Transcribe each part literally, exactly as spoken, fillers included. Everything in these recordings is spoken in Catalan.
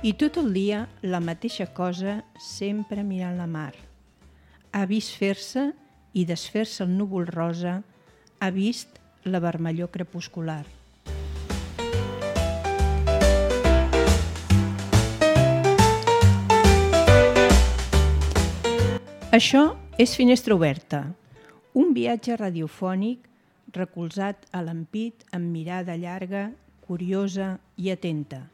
I tot el dia la mateixa cosa, sempre mirant la mar. Ha vist fer-se i desfer-se el núvol rosa, ha vist la vermellor crepuscular. Això és Finestra Oberta, un viatge radiofònic recolzat a l'ampit amb mirada llarga, curiosa i atenta.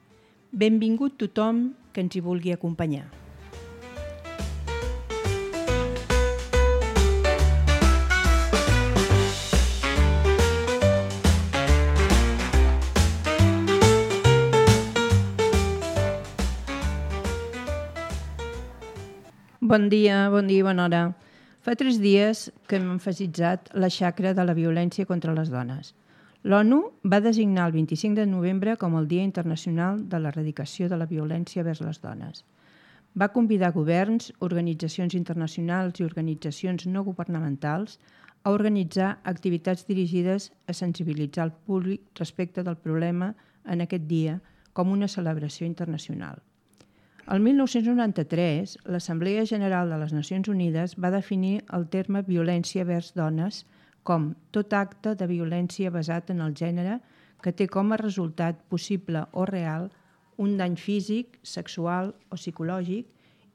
Benvingut tothom que ens hi vulgui acompanyar. Bon dia, bon dia i bona hora. Fa tres dies que hem emfasitzat la xacra de la violència contra les dones. L'ONU va designar el vint-i-cinc de novembre com el Dia Internacional de l'Erradicació de la Violència vers les dones. Va convidar governs, organitzacions internacionals i organitzacions no governamentals a organitzar activitats dirigides a sensibilitzar el públic respecte del problema en aquest dia com una celebració internacional. El mil nou-cents noranta-tres, l'Assemblea General de les Nacions Unides va definir el terme violència vers dones com tot acte de violència basat en el gènere que té com a resultat possible o real un dany físic, sexual o psicològic,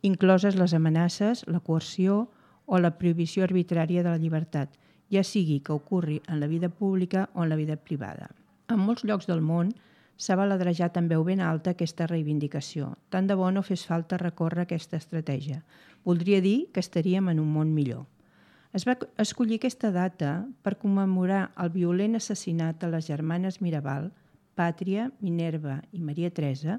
incloses les amenaces, la coerció o la prohibició arbitrària de la llibertat, ja sigui que ocorri en la vida pública o en la vida privada. En molts llocs del món s'ha baladrejat en veu ben alta aquesta reivindicació. Tant de bo no fes falta recórrer aquesta estratègia. Voldria dir que estaríem en un món millor. Es va escollir aquesta data per commemorar el violent assassinat a les germanes Mirabal, Pàtria, Minerva i Maria Teresa,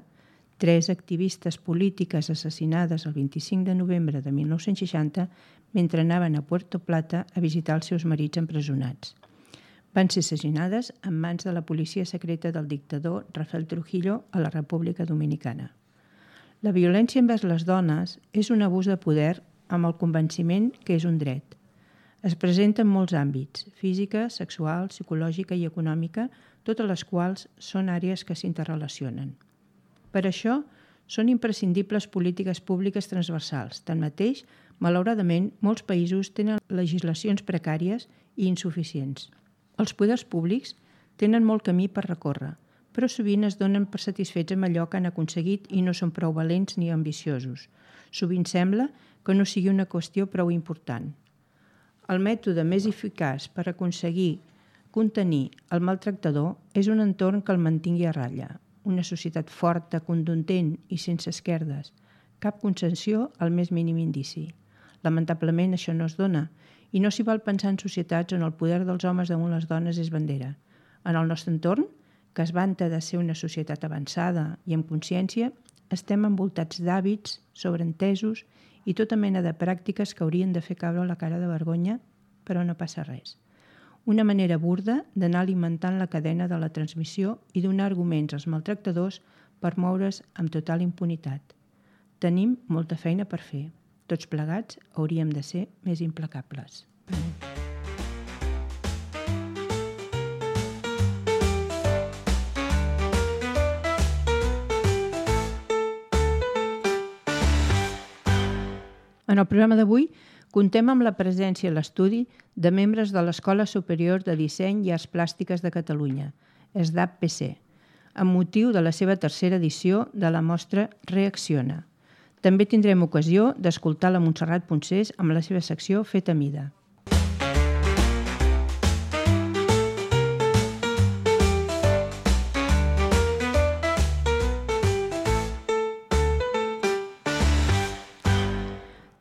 tres activistes polítiques assassinades el vint-i-cinc de novembre de mil nou-cents seixanta mentre anaven a Puerto Plata a visitar els seus marits empresonats. Van ser assassinades en mans de la policia secreta del dictador Rafael Trujillo a la República Dominicana. La violència envers les dones és un abús de poder amb el convenciment que és un dret. Es presenta en molts àmbits, física, sexual, psicològica i econòmica, totes les quals són àrees que s'interrelacionen. Per això, són imprescindibles polítiques públiques transversals. Tanmateix, malauradament, molts països tenen legislacions precàries i insuficients. Els poders públics tenen molt camí per recórrer, però sovint es donen per satisfets amb allò que han aconseguit i no són prou valents ni ambiciosos. Sovint sembla que no sigui una qüestió prou important. El mètode més eficaç per aconseguir contenir el maltractador és un entorn que el mantingui a ratlla, una societat forta, contundent i sense esquerdes, cap concessió al més mínim indici. Lamentablement això no es dona i no s'hi val pensar en societats on el poder dels homes damunt les dones és bandera. En el nostre entorn, que es vanta de ser una societat avançada i amb consciència, estem envoltats d'hàbits, sobreentesos i tota mena de pràctiques que haurien de fer caure la cara de vergonya, però no passa res. Una manera burda d'anar alimentant la cadena de la transmissió i donar arguments als maltractadors per moure's amb total impunitat. Tenim molta feina per fer. Tots plegats hauríem de ser més implacables. En el programa d'avui contem amb la presència a l'estudi de membres de l'Escola Superior de Disseny i Arts Plàstiques de Catalunya, E S D A P P C, amb motiu de la seva tercera edició de la mostra Reacciona. També tindrem ocasió d'escoltar la Montserrat Poncés amb la seva secció Feta Mida.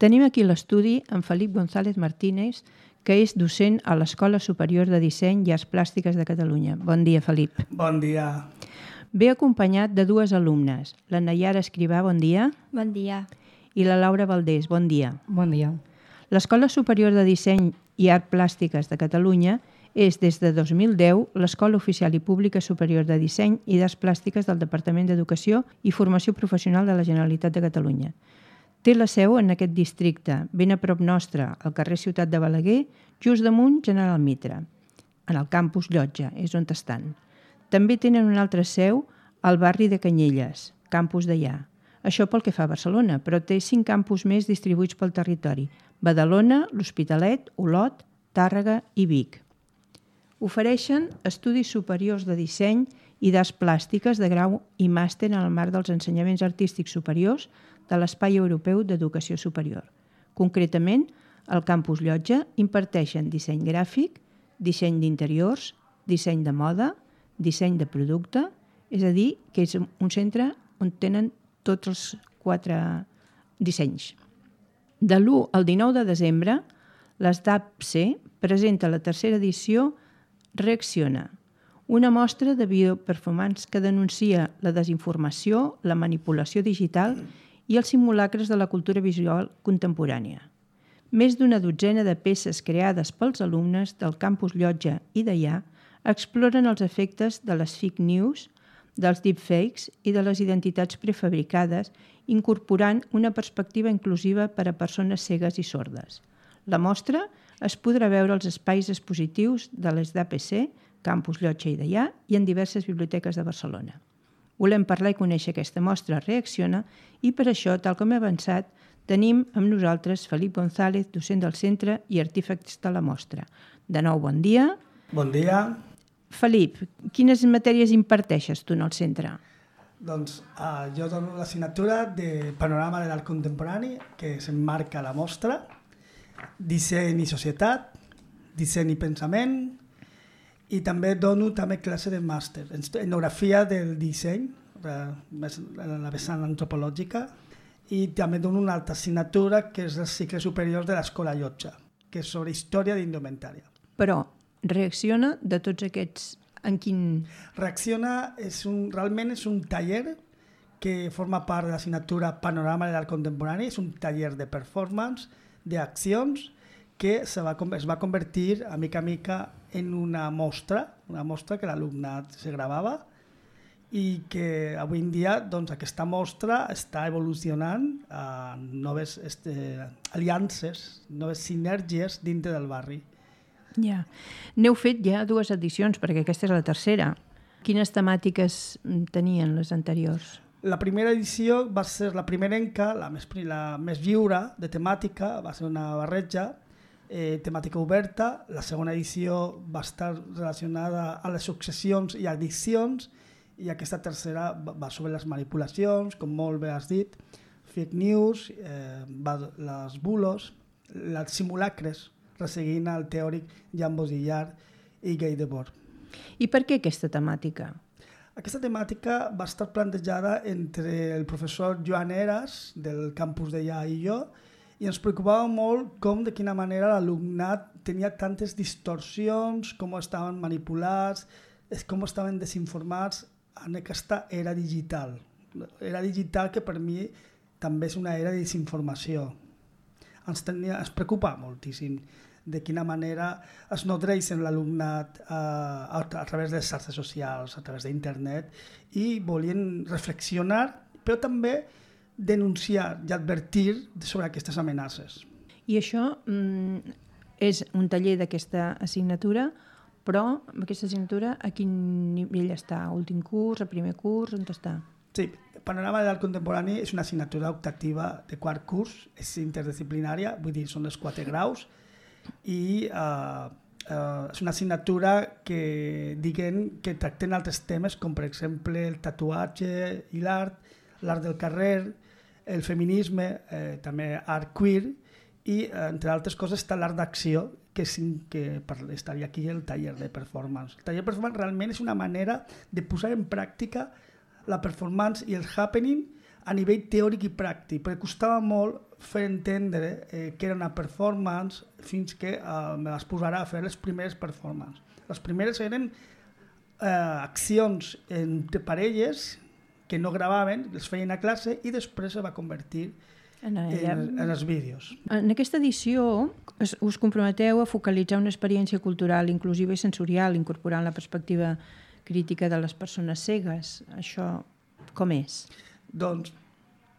Tenim aquí l'estudi en Felip González Martínez, que és docent a l'Escola Superior de Disseny i Arts Plàstiques de Catalunya. Bon dia, Felip. Bon dia. Ve acompanyat de dues alumnes, la Nayara Escrivà, bon dia. Bon dia. I la Laura Valdés, bon dia. Bon dia. L'Escola Superior de Disseny i Arts Plàstiques de Catalunya és, des de dos mil deu, l'Escola Oficial i Pública Superior de Disseny i d'Arts Plàstiques del Departament d'Educació i Formació Professional de la Generalitat de Catalunya. Té la seu en aquest districte, ben a prop nostre, al carrer Ciutat de Balaguer, just damunt General Mitre, en el campus Llotja, és on estan. També tenen una altra seu al barri de Canyelles, campus d'allà. Això pel que fa a Barcelona, però té cinc campus més distribuïts pel territori: Badalona, l'Hospitalet, Olot, Tàrrega i Vic. Ofereixen estudis superiors de disseny i d'arts plàstiques de grau i màster en el marc dels ensenyaments artístics superiors de l'Espai Europeu d'Educació Superior. Concretament, al campus Llotja imparteixen disseny gràfic, disseny d'interiors, disseny de moda, disseny de producte, és a dir, que és un centre on tenen tots els quatre dissenys. De l'u al dinou de desembre, l'ESDAPC presenta la tercera edició Reacciona, una mostra de bioperformance que denuncia la desinformació, la manipulació digital i els simulacres de la cultura visual contemporània. Més d'una dotzena de peces creades pels alumnes del campus Llotja i Deià exploren els efectes de les fake news, dels deepfakes i de les identitats prefabricades, incorporant una perspectiva inclusiva per a persones cegues i sordes. La mostra es podrà veure als espais expositius de l'ESDAPC, Campus Llotja i Deià, i en diverses biblioteques de Barcelona. Volem parlar i conèixer aquesta mostra Reacciona i per això, tal com he avançat, tenim amb nosaltres Felip González, docent del centre i artífex de la mostra. De nou, bon dia. Bon dia. Felip, quines matèries imparteixes tu en el centre? Doncs uh, jo dono l'assignatura de Panorama de l'Art Contemporani, que s'emmarca a la mostra, Disseny i Societat, Disseny i Pensament, i també dono també classe de màster, Etnografia del Disseny, més la vessant antropològica, i també dono una altra assignatura que és el cicle superior de l'Escola Llotja, que és sobre història d'indumentària. Però Reacciona de tots aquests, en quin... Reacciona és un, realment és un taller que forma part de l'assignatura Panorama de l'Art Contemporani, és un taller de performance, d'accions, que se va, es va convertir a mica a mica en una mostra, una mostra que l'alumnat se gravava i que avui en dia doncs, aquesta mostra està evolucionant a noves este, aliances, noves sinergies dintre del barri. Ja. N'heu fet ja dues edicions, perquè aquesta és la tercera. Quines temàtiques tenien les anteriors? La primera edició va ser la primerenca, la més, la més lliure de temàtica, va ser una barreja, eh, temàtica oberta. La segona edició va estar relacionada a les successions i addiccions, i aquesta tercera va sobre les manipulacions, com molt bé has dit, fake news, eh, les bulos, les simulacres, resseguint el teòric Jan Baudrillard i Guy Debord. I per què aquesta temàtica? Aquesta temàtica va estar plantejada entre el professor Joan Eras, del campus Deià, i jo, i ens preocupava molt com, de quina manera l'alumnat tenia tantes distorsions, com estaven manipulats, com estaven desinformats en aquesta era digital. Era digital que per mi també és una era de desinformació. Ens, tenia, ens preocupa moltíssim de quina manera es nodreixen l'alumnat eh, a, a través de les xarxes socials, a través d'internet, i volien reflexionar, però també denunciar i advertir sobre aquestes amenaces. I això mm, és un taller d'aquesta assignatura, però aquesta assignatura a quin nivell està? A últim curs, a primer curs, on està? Sí, Panorama de l'Art Contemporani és una assignatura optativa de quart curs, és interdisciplinària, vull dir, són els quatre graus, i uh, uh, és una assignatura que diguen que tracten altres temes com per exemple el tatuatge i l'art, l'art del carrer, el feminisme, eh, també art queer, i eh, entre altres coses està l'art d'acció, que, és, que estaria aquí el taller de performance. El taller de performance realment és una manera de posar en pràctica la performance i el happening a nivell teòric i pràctic, perquè costava molt fer entendre eh, que era una performance fins que eh, me les posarà a fer les primeres performances. Les primeres eren eh, accions entre parelles que no gravaven, les feien a classe i després se va convertir en, en, en els vídeos. En aquesta edició us, us comprometeu a focalitzar una experiència cultural inclusiva i sensorial, incorporant la perspectiva crítica de les persones cegues. Això com és? Doncs,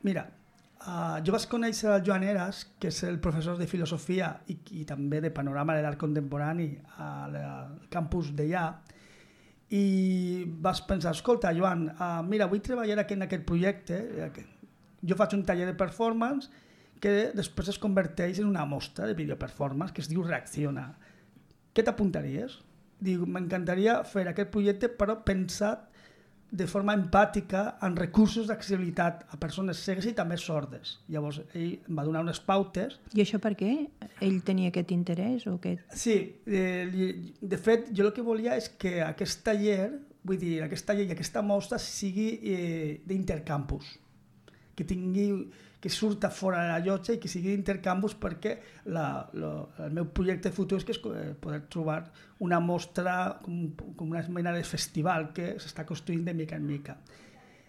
mira, uh, jo vaig conèixer el Joan Eras, que és el professor de filosofia i, i també de panorama de l'art contemporani al campus Deià, i vas pensar, escolta, Joan, uh, mira, vull treballar aquí en aquest projecte, Jo faig un taller de performance que després es converteix en una mostra de videoperformance que es diu Reacciona. Què t'apuntaries? Dic, m'encantaria fer aquest projecte, però pensat de forma empàtica en recursos d'accessibilitat a persones cegues i també sordes. Llavors, ell em va donar unes pautes. I això per què? Ell tenia aquest interès? O aquest... Sí, eh, de fet, jo el que volia és que aquest taller, vull dir, aquest taller i aquesta mostra sigui eh, d'intercampus, que tingui, que surta fora de la llotja i que sigui d'intercampus, perquè la, la, el meu projecte futur és que és poder trobar una mostra com, com una mena de festival que s'està construint de mica en mica.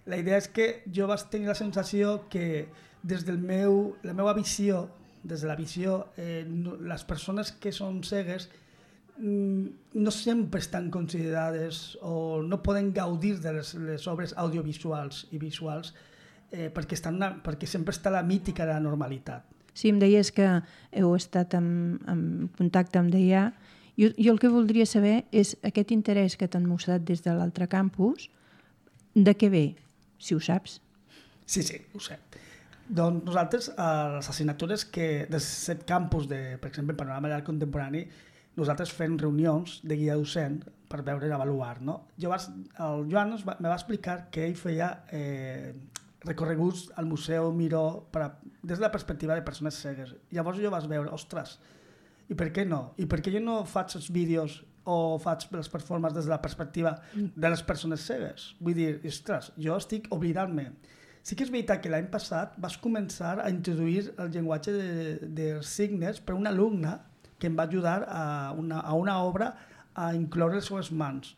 La idea és que jo vaig tenir la sensació que des del meu, la meva visió, des de la visió, eh, no, les persones que són cegues no sempre estan considerades o no poden gaudir de les, les obres audiovisuals i visuals eh, perquè, estan una, perquè sempre està la mítica de la normalitat. Sí, em deies que heu estat en, en contacte amb D I A. Jo, jo el que voldria saber és aquest interès que t'han mostrat des de l'altre campus, de què ve, si ho saps? Sí, sí, ho sé. Doncs nosaltres, a les assignatures que dels set campus, de, per exemple, Panorama d'Art Contemporani, nosaltres fem reunions de guia docent per veure i avaluar. No? Jo vas, el Joan va, me va explicar que ell feia eh, recorreguts al Museu Miró per a, des de la perspectiva de persones cegues. Llavors jo vas veure, ostres, i per què no? I per què jo no faig els vídeos o faig les performances des de la perspectiva de les persones cegues? Vull dir, ostres, jo estic oblidant-me. Sí que és veritat que l'any passat vas començar a introduir el llenguatge de, dels signes per una alumna que em va ajudar a una, a una obra a incloure les seves mans.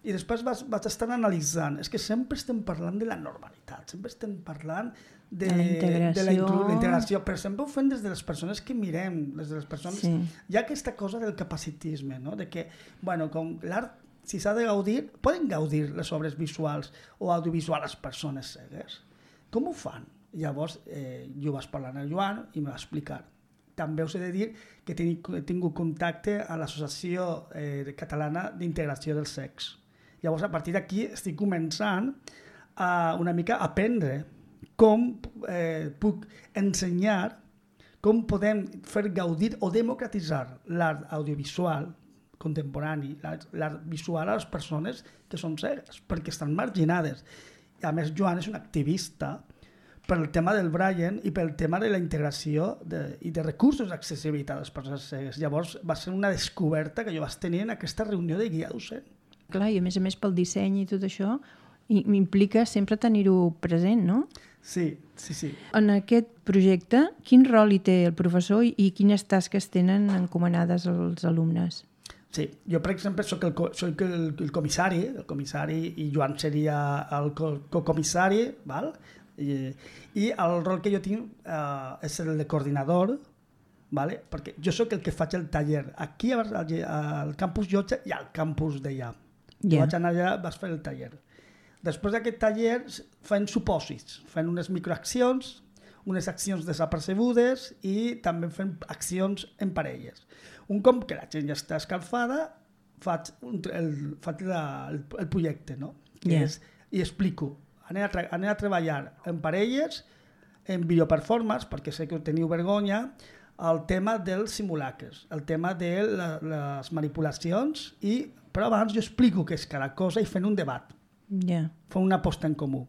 I després vas, vas estar analitzant. És que sempre estem parlant de la normalitat, sempre estem parlant de, de la integració. De la, la integració, però sempre ho fem des de les persones que mirem, des de les persones... Sí. Hi ha aquesta cosa del capacitisme, no? De que, bueno, com l'art, si s'ha de gaudir, poden gaudir les obres visuals o audiovisuals les persones cegues. Com ho fan? Llavors, eh, jo vaig parlar amb el Joan i me va explicar. També us he de dir que he tingut contacte a l'Associació eh, Catalana d'Integració dels Cecs. Llavors, a partir d'aquí estic començant a una mica a aprendre com eh, puc ensenyar, com podem fer gaudir o democratitzar l'art audiovisual contemporani, l'art visual a les persones que són cegues, perquè estan marginades. I a més, Joan és un activista pel tema del Brian i pel tema de la integració de, i de recursos d'accessibilitat a les persones cegues. Llavors va ser una descoberta que jo vaig tenir en aquesta reunió de guia docent. Clar, i a més a més pel disseny i tot això m'implica sempre tenir-ho present, no? Sí, sí, sí. En aquest projecte, quin rol hi té el professor i quines tasques tenen encomanades als alumnes? Sí, jo per exemple soc el, soc el, el comissari, el comissari i Joan seria el cocomissari, val? I, i el rol que jo tinc eh, és el de coordinador, vale? Perquè jo sóc el que faig el taller aquí al, al campus Llotja i al campus d'allà. Jo yeah. vaig anar allà, vaig fer el taller. Després d'aquest taller fem supòsits, fem unes microaccions, unes accions desapercebudes i també fem accions en parelles. Un cop que la gent ja està escalfada, faig, un, el, faig la, el, el projecte, no? Que yeah. és, i explico. Anem a, anem a treballar en parelles, en videoperformance, perquè sé que teniu vergonya, el tema dels simulacres, el tema de la, les manipulacions, i, però abans jo explico què és cada cosa i fent un debat. Yeah. Fem una aposta en comú.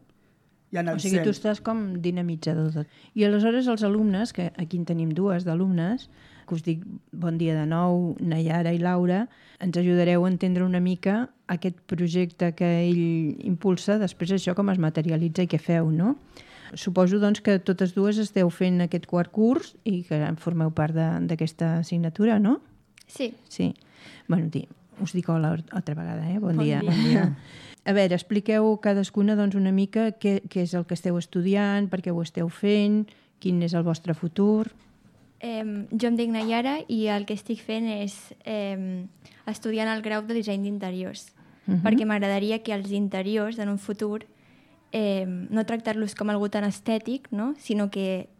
I o sigui, tu estàs com dinamitzador tot. I aleshores els alumnes, que aquí en tenim dues d'alumnes, que us dic bon dia de nou, Nayara i Laura, ens ajudareu a entendre una mica aquest projecte que ell impulsa, després això com es materialitza i què feu, no? Suposo doncs que totes dues esteu fent aquest quart curs i que formeu part d'aquesta assignatura, no? Sí. Sí. Bueno, tí, us dic hola altra vegada, eh? Bon, bon dia. dia. Bon dia. A veure, expliqueu cadascuna doncs, una mica què, què és el que esteu estudiant, per què ho esteu fent, quin és el vostre futur. Eh, jo em dic Nayara i el que estic fent és eh, estudiant el grau de disseny d'interiors, uh-huh. perquè m'agradaria que els interiors en un futur eh, no tractar-los com algú tan estètic, no? Sinó que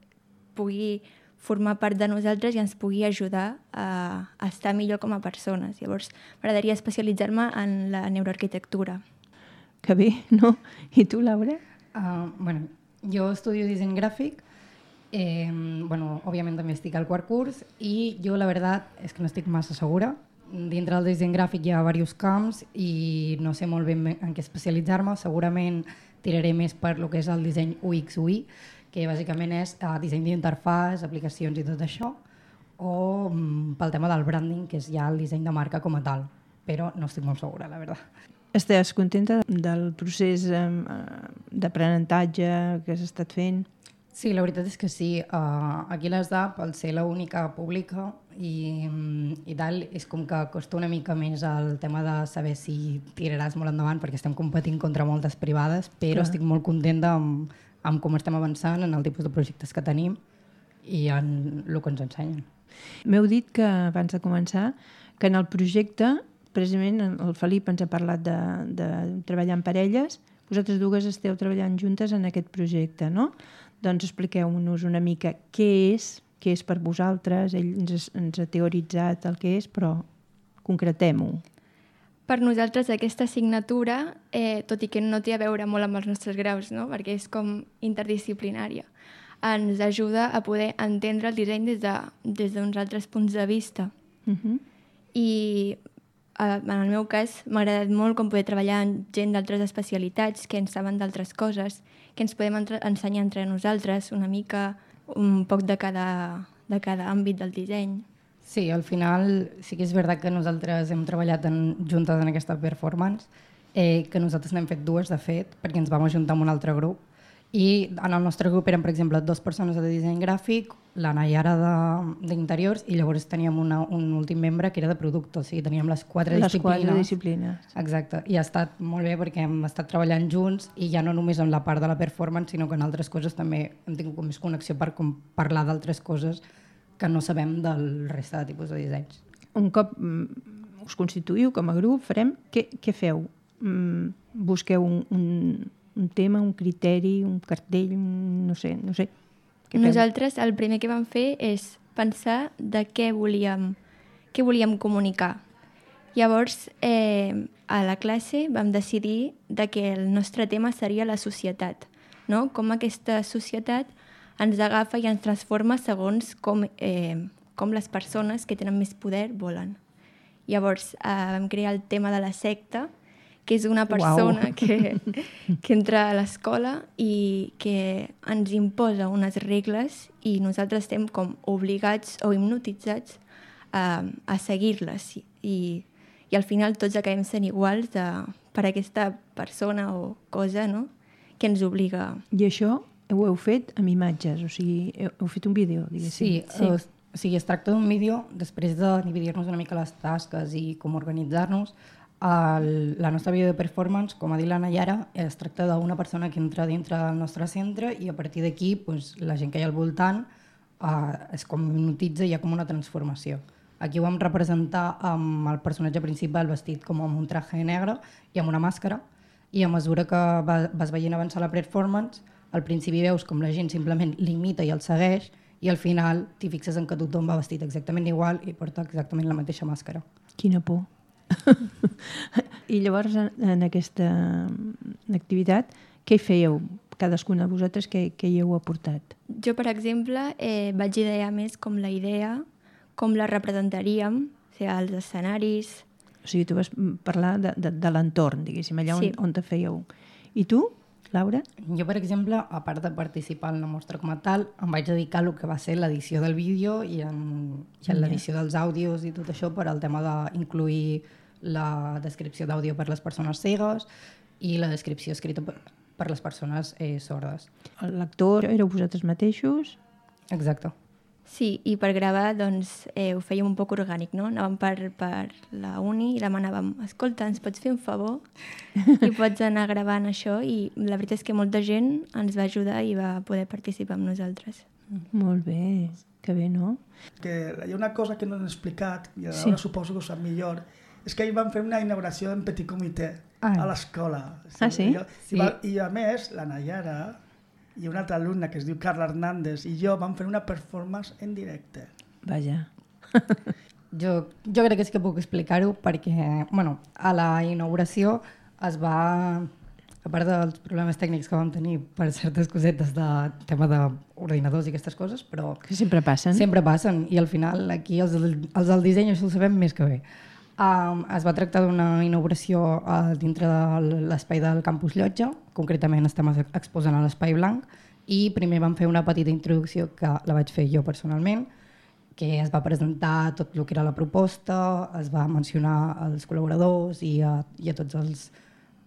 pugui formar part de nosaltres i ens pugui ajudar a, a estar millor com a persones. Llavors, m'agradaria especialitzar-me en la neuroarquitectura. Que bé, no? I tu, Laura? Uh, bueno, Jo estudio disseny gràfic, eh, bueno, òbviament també estic al quart curs i jo la veritat és que no estic massa segura. Dintre del disseny gràfic hi ha diversos camps i no sé molt ben en què especialitzar-me. Segurament tiraré més per lo que és el disseny U X U I, que bàsicament és eh, disseny d'interfàs, aplicacions i tot això, o mm, pel tema del branding, que és ja el disseny de marca com a tal, però no estic molt segura, la veritat. Estàs contenta del procés eh, d'aprenentatge que has estat fent? Sí, la veritat és que sí. Uh, aquí l'E S D A P, al ser l'única pública i, i tal, és com que costa una mica més el tema de saber si tiraràs molt endavant, perquè estem competint contra moltes privades, però Clar. estic molt contenta amb, amb com estem avançant, en el tipus de projectes que tenim i en el que ens ensenyen. M'heu dit que, abans de començar, que en el projecte, precisament el Felip ens ha parlat de, de treballar en parelles, vosaltres dues esteu treballant juntes en aquest projecte, no? Doncs expliqueu-nos una mica què és, què és per vosaltres, ell ens, ens ha teoritzat el que és, però concretem-ho. Per nosaltres aquesta assignatura, eh, tot i que no té a veure molt amb els nostres graus, no? Perquè és com interdisciplinària, ens ajuda a poder entendre el disseny des de, des d'uns altres punts de vista. Uh-huh. I en el meu cas m'ha agradat molt com poder treballar amb gent d'altres especialitats que ens saben d'altres coses, que ens podem entre- ensenyar entre nosaltres una mica, un poc de cada, de cada àmbit del disseny. Sí, al final sí que és veritat que nosaltres hem treballat en, juntes en aquesta performance, eh, que nosaltres n'hem fet dues, de fet, perquè ens vam ajuntar amb un altre grup. I en el nostre grup eren, per exemple, dues persones de disseny gràfic, la Nayara d'interiors, i llavors teníem una, un últim membre que era de producte, o sigui, teníem les quatre les disciplines. Les quatre disciplines. Exacte, i ha estat molt bé perquè hem estat treballant junts i ja no només en la part de la performance, sinó que en altres coses també hem tingut més connexió per com parlar d'altres coses que no sabem del resta de tipus de dissenys. Un cop mm, us constituïu com a grup, farem, què, què feu? Mm, busqueu un, un, un tema, un criteri, un cartell, un, no sé, no sé. Què feu? Nosaltres el primer que vam fer és pensar de què volíem, què volíem comunicar. Llavors, eh, a la classe vam decidir de que el nostre tema seria la societat, no? Com aquesta societat ens agafa i ens transforma segons com, eh, com les persones que tenen més poder volen. Llavors eh, vam crear el tema de la secta, que és una persona wow. que, que entra a l'escola i que ens imposa unes regles i nosaltres estem com obligats o hipnotitzats a, a seguir-les i, i al final tots acabem sent iguals de, per aquesta persona o cosa, no?, que ens obliga. I això ho heu fet amb imatges, o sigui, heu, heu fet un vídeo, diguéssim. Sí, sí. O, o sigui, es tracta d'un vídeo, després de dividir-nos una mica les tasques i com organitzar-nos. El, la nostra vídeo de performance, com ha dit la Nayara, es tracta d'una persona que entra dintre del nostre centre i a partir d'aquí pues, la gent que hi ha al voltant eh, es com hipnotitza i hi ha com una transformació. Aquí ho vam representar amb el personatge principal vestit com amb un traje negre i amb una màscara, i a mesura que va, vas veient avançar la performance, al principi veus com la gent simplement l'imita i el segueix i al final t'hi fixes en que tothom va vestit exactament igual i porta exactament la mateixa màscara. Quina por. I llavors en, en aquesta activitat què hi fèieu? Cadascuna de vosaltres què, què hi heu aportat? Jo, per exemple, eh, vaig idear més com la idea, com la representaríem, o sigui, els escenaris. O sigui, tu vas parlar de, de, de l'entorn, diguéssim, allà sí. on, on te fèieu. I tu, Laura? Jo, per exemple, a part de participar en la mostra com a tal, em vaig dedicar a lo que va ser l'edició del vídeo i en, i en l'edició dels àudios i tot això per al tema d'incluir la descripció d'àudio per les persones cegues i la descripció escrita per, per les persones eh, sordes. L'actor éreu vosaltres mateixos? Exacte. Sí, i per gravar doncs, eh, ho fèiem un poc orgànic, no? Anàvem per, per la uni i demanàvem, escolta, ens pots fer un favor? I pots anar gravant això, i la veritat és que molta gent ens va ajudar i va poder participar amb nosaltres. Molt bé, que bé, no? Que hi ha una cosa que no hem explicat, i ara sí. suposo que ho sap millor, és que ahir vam fer una inauguració en petit comitè ah. a l'escola. Ah, sí? I, sí. I, I a més, la Nayara i una altra alumna que es diu Carla Hernández i jo vam fer una performance en directe. Vaja. jo, jo crec que sí que puc explicar-ho perquè, bueno, a la inauguració es va, a part dels problemes tècnics que vam tenir per certes cosetes de tema d'ordinadors i aquestes coses, però Que sempre passen. sempre passen i al final aquí els, els del disseny això ho sabem més que bé. Um, es va tractar d'una inauguració uh, dintre de l'espai del campus Llotja, concretament estem exposant a l'espai blanc, i primer vam fer una petita introducció que la vaig fer jo personalment, que es va presentar tot el que era la proposta, es va mencionar els col·laboradors i a, i a tots els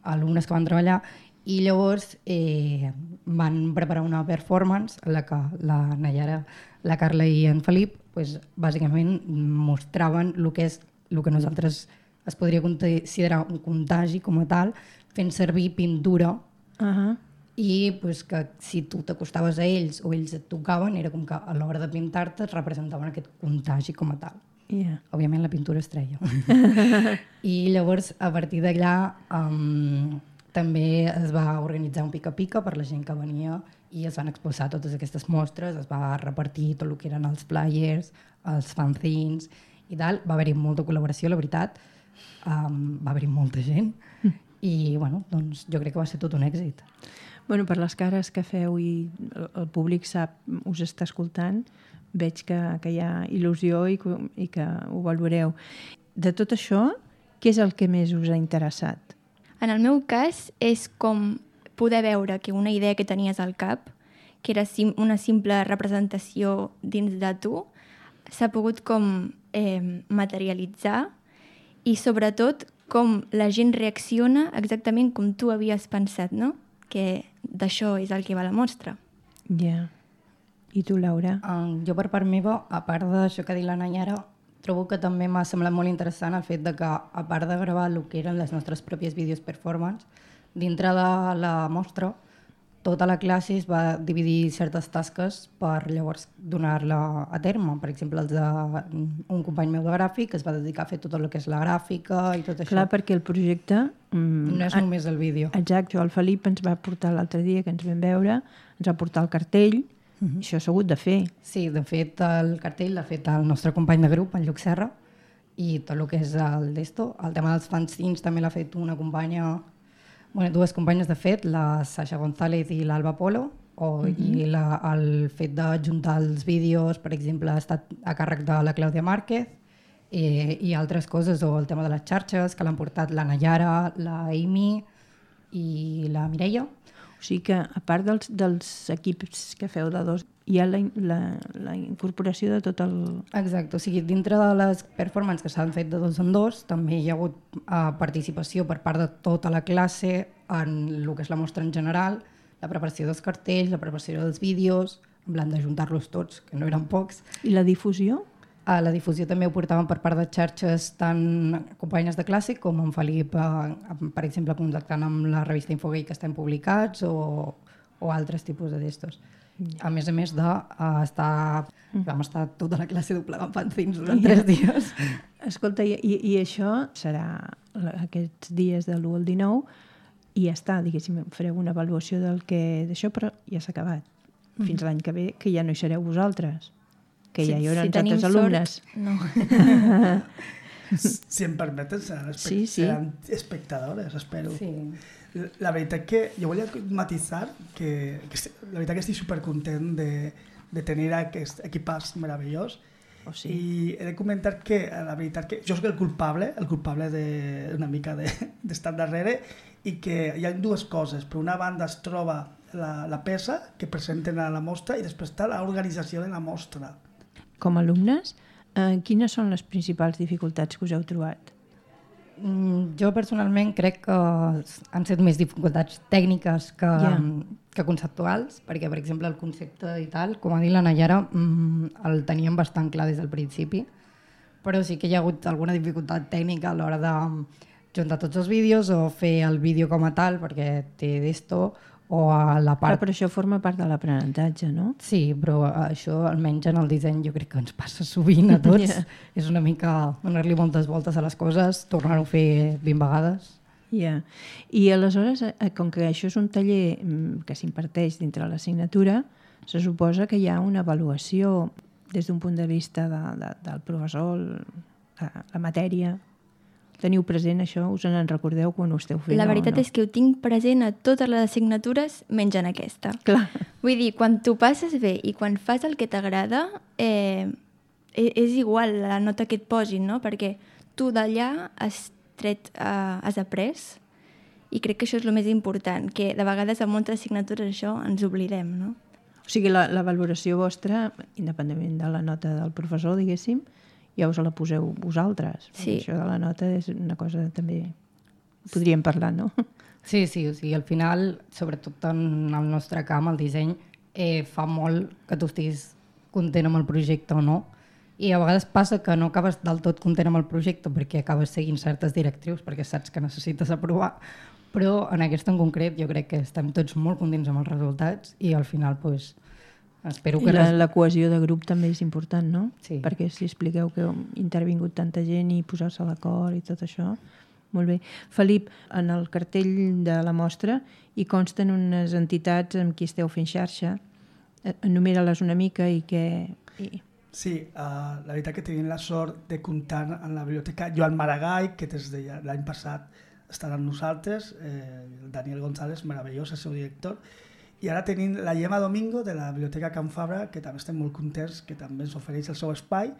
alumnes que van treballar, i llavors eh, van preparar una performance en la que la Nayara, la Carla i en Felip pues, bàsicament mostraven el que és el que nosaltres es podria considerar un contagi com a tal, fent servir pintura Uh -huh. i pues, que si tu t'acostaves a ells o ells et tocaven, era com que a l'hora de pintar-te et representaven aquest contagi com a tal. Yeah. Òbviament la pintura es treia. I llavors, a partir d'allà, um, també es va organitzar un pica-pica per la gent que venia i es van exposar totes aquestes mostres, es va repartir tot el que eren els flyers, els fanzines i tal. Va haver-hi molta col·laboració, la veritat. Um, va haver-hi molta gent i bueno, doncs, jo crec que va ser tot un èxit. Bueno, per les cares que feu i el, el públic sap, us està escoltant, veig que, que hi ha il·lusió i que, i que ho valoreu. De tot això, què és el que més us ha interessat? En el meu cas és com poder veure que una idea que tenies al cap, que era sim una simple representació dins de tu, s'ha pogut com eh, materialitzar i sobretot com la gent reacciona exactament com tu havies pensat, no? Que d'això és el que va la mostra. Ja. Yeah. I tu, Laura? Uh, jo, per part meva, a part d'això que ha dit la Nayara, trobo que també m'ha semblat molt interessant el fet de que, a part de gravar el que eren les nostres pròpies vídeos performance, dintre de la mostra, tota la classe es va dividir certes tasques per llavors donar-la a terme. Per exemple, els de, un company meu de gràfic es va dedicar a fer tot el que és la gràfica i tot això. Clar, perquè el projecte... Mm, no és només el vídeo. Exacte, el Felip ens va portar l'altre dia que ens vam veure, ens va portar el cartell. Uh-huh. Això s'ha hagut de fer. Sí, de fet el cartell l'ha fet el nostre company de grup, en Lluc Serra, i tot el que és el d'esto. El tema dels fanzines també l'ha fet una companya, bueno, dues companyes de fet, la Sasha González i l'Alba Polo, o, uh-huh. i la, el fet de juntar els vídeos, per exemple, ha estat a càrrec de la Clàudia Márquez, eh, i altres coses, o el tema de les xarxes, que l'han portat la Nayara, la Amy i la Mireia. O sigui que, a part dels, dels equips que feu de dos, hi ha la, la, la incorporació de tot el... Exacte, o sigui, dintre de les performances que s'han fet de dos en dos, també hi ha hagut uh, participació per part de tota la classe en el que és la mostra en general, la preparació dels cartells, la preparació dels vídeos, en plan d'ajuntar-los tots, que no eren pocs. I la difusió? A la difusió també ho portaven per part de xarxes tant companyes de classe com en Felip, eh, per exemple, contactant amb la revista Infogay que estan publicats o, o altres tipus de d'estos. A més a més de uh, estar... Mm. Vam estar tota la classe doblegant fanzines durant tres dies. Escolta, i, i això serà aquests dies de l'u al dinou i ja està, diguéssim, fareu una avaluació del que d'això, però ja s'ha acabat. Mm. Fins l'any que ve, que ja no hi sereu vosaltres. Que si, ja hi haurà si altres alumnes. Sort, no. Si em permeten, seran, espe sí, sí. seran espectadores, espero. Sí. La veritat que jo volia matisar que, que la veritat que estic supercontent de, de tenir aquest equipàs meravellós. Oh, sí. I he de comentar que la veritat que jo soc el culpable, el culpable de, una mica d'estar de, darrere i que hi ha dues coses. Per una banda es troba la, la peça que presenten a la mostra i després està l'organització de la mostra. Com a alumnes, eh, quines són les principals dificultats que us heu trobat? Mm, jo personalment crec que han set més dificultats tècniques que, yeah. que conceptuals, perquè per exemple el concepte i tal, com ha dit la Nayara, mm, el teníem bastant clar des del principi, però sí que hi ha hagut alguna dificultat tècnica a l'hora de juntar tots els vídeos o fer el vídeo com a tal, perquè té d'esto, o a la part... Però, però això forma part de l'aprenentatge, no? Sí, però això almenys en el disseny jo crec que ens passa sovint a tots. Yeah. És una mica donar-li moltes voltes a les coses, tornar-ho a fer vint vegades. Yeah. I aleshores, com que això és un taller que s'imparteix dintre l'assignatura, se suposa que hi ha una avaluació des d'un punt de vista de, de, del professor, la, la matèria. teniu present això? Us en recordeu quan ho esteu fent? La veritat no? és que ho tinc present a totes les assignatures menys en aquesta. Clar. Vull dir, quan t'ho passes bé i quan fas el que t'agrada, eh, és igual la nota que et posin, no? Perquè tu d'allà has tret, eh, has après, i crec que això és el més important, que de vegades en moltes assignatures això ens oblidem, no? O sigui, la, la valoració vostra, independentment de la nota del professor, diguéssim, ja us la poseu vosaltres. Sí. Això de la nota és una cosa també... Podríem parlar, no? Sí, sí, o sigui, al final, sobretot en el nostre camp, el disseny, eh, fa molt que tu estiguis content amb el projecte o no, i a vegades passa que no acabes del tot content amb el projecte perquè acabes seguint certes directrius, perquè saps que necessites aprovar, però en aquesta en concret jo crec que estem tots molt contents amb els resultats i al final pues, espero que... I la, la cohesió de grup també és important, no? Sí. Perquè si expliqueu que ha intervingut tanta gent i posar-se d'acord i tot això, molt bé. Felip, en el cartell de la mostra hi consten unes entitats amb qui esteu fent xarxa. Enumera-les una mica i què... I... Sí, uh, la veritat que tenim la sort de comptar en la biblioteca Joan Maragall, que des de l'any passat estarà amb nosaltres, eh, el Daniel González, meravellós, el seu director, i ara tenim la Gemma Domingo de la Biblioteca Can Fabra, que també estem molt contents, que també ens ofereix el seu espai.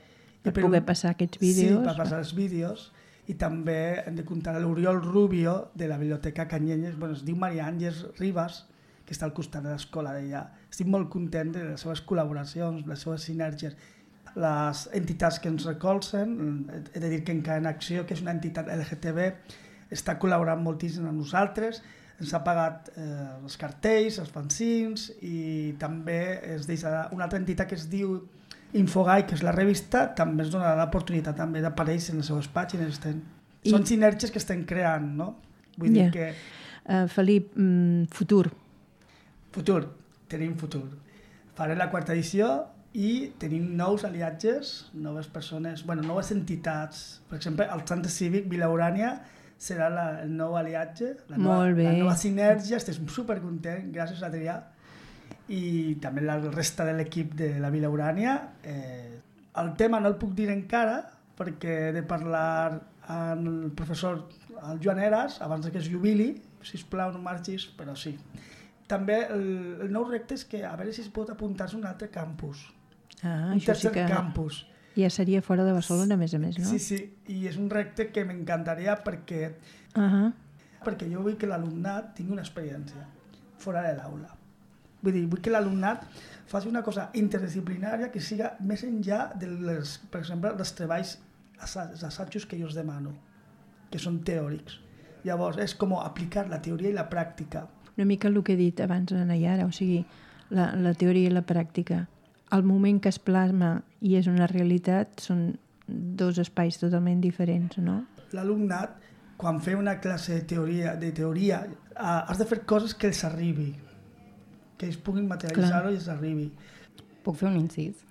Per I per poder un... passar aquests vídeos. Sí, per passar els vídeos. I també hem de comptar l'Oriol Rubio de la Biblioteca Canyelles, bueno, es diu Maria Àngels Ribas, que està al costat de l'escola d'ella. Estic molt content de les seves col·laboracions, les seves sinergies. Les entitats que ens recolzen, he de dir que Encara en Acció, que és una entitat L G T B, està col·laborant moltíssim amb nosaltres, ens ha pagat eh, els cartells, els fanzins, i també ens deixa una altra entitat que es diu Infogai, que és la revista, també ens donarà l'oportunitat també d'aparèixer en les seves pàgines. Estem... I... Són sinergies que estem creant, no? Vull yeah. dir que... Uh, Felip, mm, futur. Futur, tenim futur. Farem la quarta edició i tenim nous aliatges, noves persones, bueno, noves entitats. Per exemple, el Centre Cívic Vila Urània serà la, el nou aliatge, la nova, la nova sinergia. Estem supercontents, gràcies a Adrià. I també la resta de l'equip de la Vila Urània. Eh, el tema no el puc dir encara perquè he de parlar amb el professor el Joan Eras abans que es jubili, sisplau no marxis, però sí. També el, el nou repte és que a veure si es pot apuntar-se a un altre campus, ah, un això tercer sí que campus. Ja seria fora de Barcelona, a més a més, no? Sí, sí, i és un repte que m'encantaria perquè, uh -huh. perquè jo vull que l'alumnat tingui una experiència fora de l'aula. Vull dir, vull que l'alumnat faci una cosa interdisciplinària que siga més enllà de les, per exemple, dels treballs, els assajos que jo els demano, que són teòrics. Llavors, és com aplicar la teoria i la pràctica. Una mica el que he dit abans a Nayara, o sigui, la, la teoria i la pràctica. El moment que es plasma i és una realitat són dos espais totalment diferents, no? L'alumnat, quan fa una classe de teoria, de teoria uh, has de fer coses que els arribi, que ells puguin materialitzar-ho i els arribi. Puc fer un incís?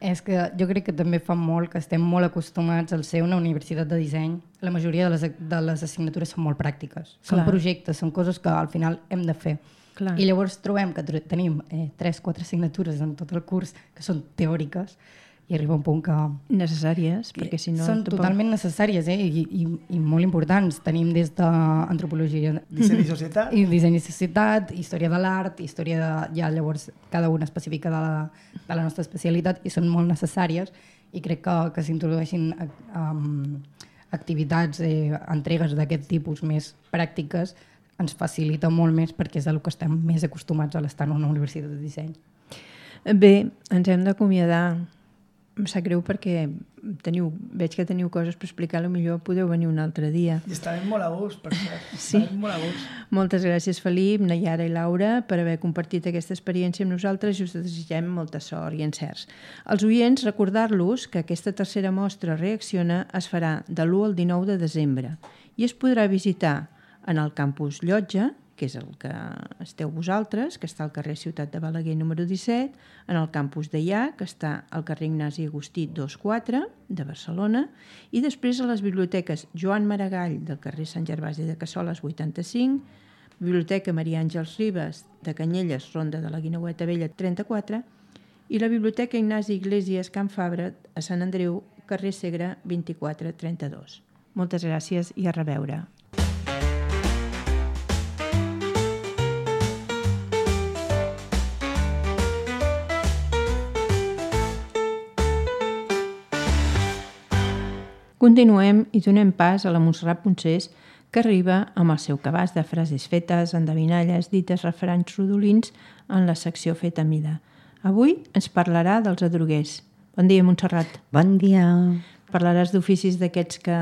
És que jo crec que també fa molt que estem molt acostumats al ser una universitat de disseny. La majoria de les, de les assignatures són molt pràctiques. Són Clar. projectes, són coses que al final hem de fer. Clar. I llavors trobem que tenim eh, tres o quatre assignatures en tot el curs que són teòriques i arriba un punt que... Necessàries, perquè si no... Són tampoc... totalment necessàries, eh? I, i, i molt importants. Tenim des d'antropologia... Disseny i societat. I disseny i societat, història de l'art, història de... Ja llavors cada una específica de la, de la nostra especialitat i són molt necessàries i crec que, que s'introdueixin um, activitats, eh, entregues d'aquest tipus més pràctiques ens facilita molt més perquè és el que estem més acostumats a l'estar en una universitat de disseny. Bé, ens hem d'acomiadar. Em sap greu perquè teniu, veig que teniu coses per explicar, potser podeu venir un altre dia. I estarem molt a gust, per cert. Sí. Estarem molt a gust. Moltes gràcies, Felip, Nayara i Laura, per haver compartit aquesta experiència amb nosaltres i us desitgem molta sort i encerts. Als oients, recordar-los que aquesta tercera mostra Reacciona es farà de l'u al dinou de desembre i es podrà visitar en el campus Llotja, que és el que esteu vosaltres, que està al carrer Ciutat de Balaguer número disset, en el campus d'Eià, que està al carrer Ignasi Agustí dos quatre de Barcelona, i després a les biblioteques Joan Maragall del carrer Sant Gervasi de Cassoles vuitanta-cinc, Biblioteca Maria Àngels Ribas de Canyelles, Ronda de la Guineueta Vella trenta-quatre, i la Biblioteca Ignasi Iglesias Can Fabra a Sant Andreu, carrer Segre vint-i-quatre trenta-dos. Moltes gràcies i a reveure. Continuem i donem pas a la Montserrat Poncés, que arriba amb el seu cabàs de frases fetes, endevinalles, dites, refranys rodolins en la secció Feta a mida. Avui ens parlarà dels adroguers. Bon dia, Montserrat. Bon dia. Parlaràs d'oficis d'aquests que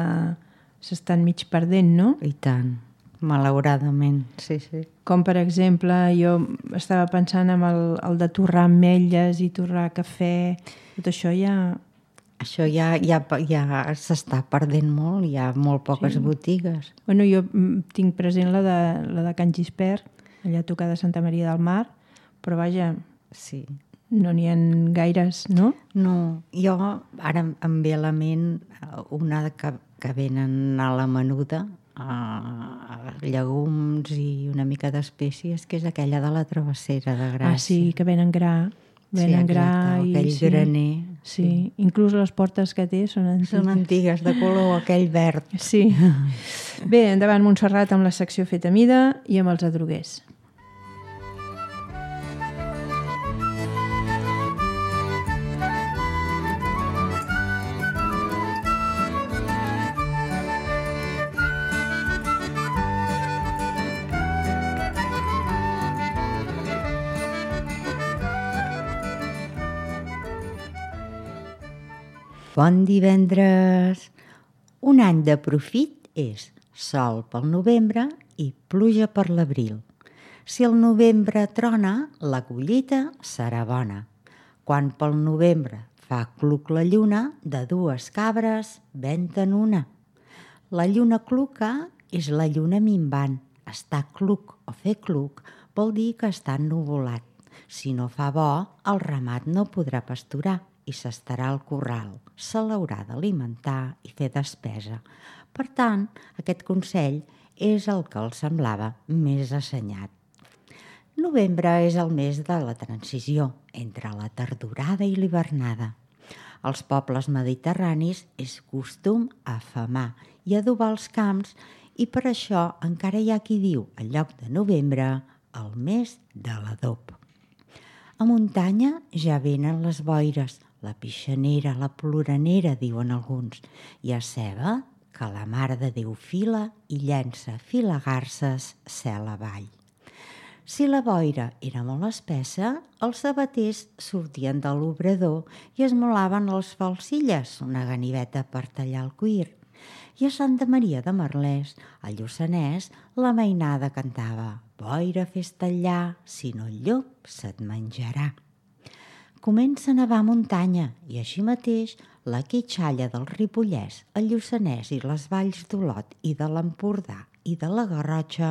s'estan mig perdent, no? I tant, malauradament, sí, sí. Com, per exemple, jo estava pensant en el, el de torrar ametlles i torrar cafè. Tot això ja... Això ja, ja, ja s'està perdent molt, hi ha molt poques sí. botigues. Bueno, jo tinc present la de, la de Can Gispert, allà a tocar de Santa Maria del Mar, però vaja, sí. no n'hi ha gaires, no? No, jo ara em ve a la ment una que, que venen a la menuda, a llegums i una mica d'espècies, que és aquella de la Travessera de Gràcia. Ah, sí, que venen gra. Venen sí, gra exacte, i... aquell sí. graner. Sí. sí, inclús les portes que té són antigues. Són antigues, de color aquell verd. Sí. Bé, endavant, Montserrat, amb la secció Feta a mida i amb els adroguers. Bon divendres! Un any de profit és sol pel novembre i pluja per l'abril. Si el novembre trona, la collita serà bona. Quan pel novembre fa cluc la lluna, de dues cabres venten una. La lluna cluca és la lluna minvant. Estar cluc o fer cluc vol dir que està ennuvolat. Si no fa bo, el ramat no podrà pasturar i s'estarà al corral. Se l'haurà d'alimentar i fer despesa. Per tant, aquest consell és el que els semblava més assenyat. Novembre és el mes de la transició entre la tardorada i l'hivernada. Als pobles mediterranis és costum afamar i adobar els camps i per això encara hi ha qui diu, en lloc de novembre, el mes de l'adob. A muntanya ja venen les boires, la pixanera, la ploranera, diuen alguns, i a ceba que la Mare de Déu fila i llença filagarses cel avall. Si la boira era molt espessa, els sabaters sortien de l'obrador i esmolaven les falsilles, una ganiveta per tallar el cuir. I a Santa Maria de Merlès, al Lluçanès, la mainada cantava «Boira, fes tallar, si no el llop se't menjarà». Comença a nevar a muntanya i així mateix la quitxalla del Ripollès, el Lluçanès i les valls d'Olot i de l'Empordà i de la Garrotxa